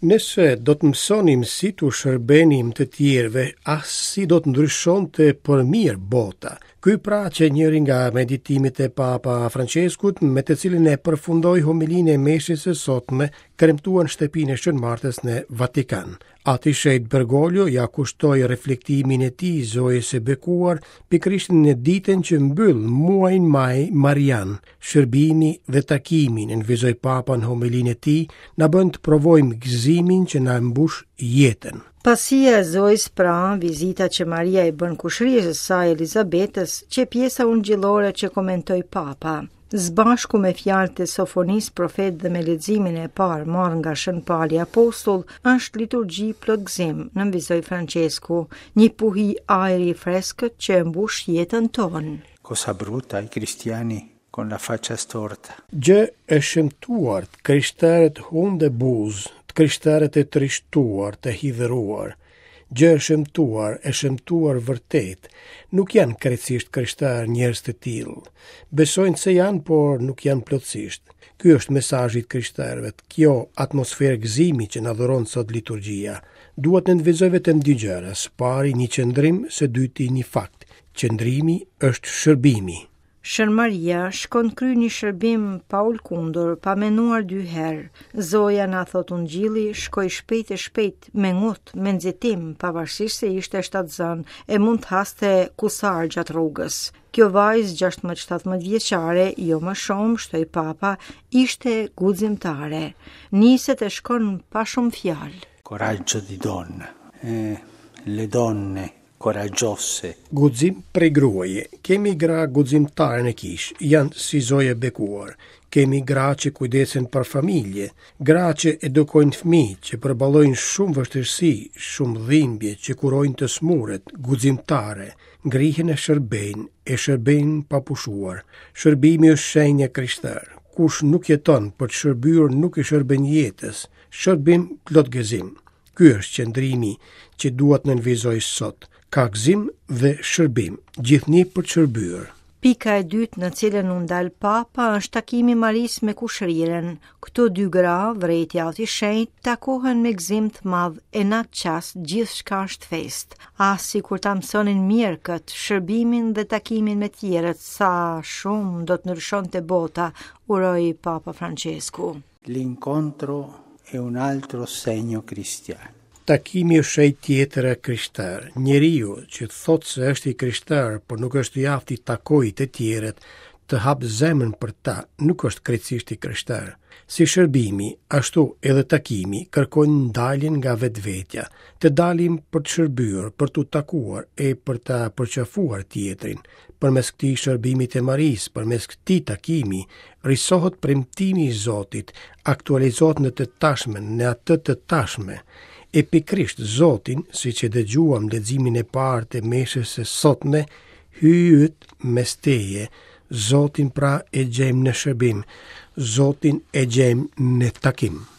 Nëse do të mësonim si t'u shërbenim të tjerëve, ah si do të ndryshonte për mirë bota. Ky pra qe njëri nga meditimet e Papa Françeskut, me të cilin e përfundoi homilinë e meshës së sotme, kremtuar në shtëpinë e Shën Martës në Vatikan. Ati i Shenjtë Bergoglio ia kushtoi reflektimin e tij Zojës së Bekuar pikërisht në ditën që mbyll muajin maj Marian. Shërbimi dhe takimi, nënvizoi Papa në homilinë e tij, na bën të provojmë gëzimin që na mbush jetën. Pasia e Zojës pra, vizita që Maria i bën kushërirës së saj Elizabetës, qe pjesa ungjillore që komentoi Papa. Së bashku me fjalët e Sofonisë profet dhe me leximin e parë marrë nga Shën Pali Apostull, është liturgji plot gëzim, nënvizoi Françesku, një puhi ajri i freskët që e mbush jetën tonë. Cosa brutta i cristiani con la faccia storta. Gjë e shëmtuar, të krishterët hundë e buzë, të krishterët e trishtuar, të hidhëruar. Gjë e shëmtuar, e shëmtuar vërtet, nuk janë krejtësisht krishterë njerëz të tillë. Besojnë se janë, por nuk janë plotësisht. Ky është mesazhi i të krishterëve, kjo atmosferë gëzimi që na dhuron sot liturgjia. Dua të nënvizoj vetëm dy gjëra, së pari një qëndrim, së dyti një fakt. Qëndrimi është shërbimi. Shën Maria shkon kryen një shërbim pa u lëkundur, pa menduar dy herë. Zoja na thotë ungjilli, shkoi shpejt e shpejt, me ngut, me nxitim, pavarësisht se ishte shtatzënë e mund të haste kusar gjatë rrugës. Kjo vajzë 16-17 vjeçare, jo më shumë, shtoi papa, ishte guximtare. Niset e shkon pa shumë fjalë. Coraggio di donna. Eh, le donne Coraggiose. Guxim prej gruaje. Kemi gra guximtare në kishë, janë si Zoja e bekuar. Kemi gra që kujdesen për familje, gra që edukojnë fëmijë, që përballojnë shumë vështirësi, shumë dhimbje, që kurojnë të sëmurët, guximtare, ngrihen e shërbejnë, e shërbejnë pa pushuar. Shërbimi është shenjë e krishterë. Kush nuk jeton për të shërbyer nuk i shërben jetës. Shërbim plot gëzim. Ky është qëndrimi që dua të nënvizoj sot. Ka gëzim dhe shërbim, gjithnjë për të shërbyer. Pika e dytë në cilën u ndal Papa është takimi i Marisë me kushërirën. Këto dy gra, vërejti Ati i Shenjtë, takohen me gëzim të madh e në atë çast gjithçka është festë. Ah, sikur ta mësonin mirë këtë, shërbimin dhe takimin me tjerët, sa shumë do të ndryshonte bota, uroi Papa Françesku. L'incontro è un altro segno cristiano. Takimi është shenjë tjetër e krishterë. Njeriu që thotë se është i krishterë, por nuk është i aftë t'i takojë të tjerët, të hapë zemrën për ta, nuk është krejtësisht i krishterë. Si shërbimi, ashtu edhe takimi, kërkojnë daljen nga vetvetja, të dalim për të shërbyer, për t'u takuar e për ta përqafuar tjetrin. Përmes këtij shërbimi të Marisë, përmes këtij takimi, risohet premtimi i Zotit, aktualizohet në të tashmen, në atë të tashme. E pikërisht Zotin, siç e dëgjuam leximin e parë të meshës së sotme, Hyji yt mes teje, Zotin pra e gjejmë në shërbim, Zotin e gjejmë në takim.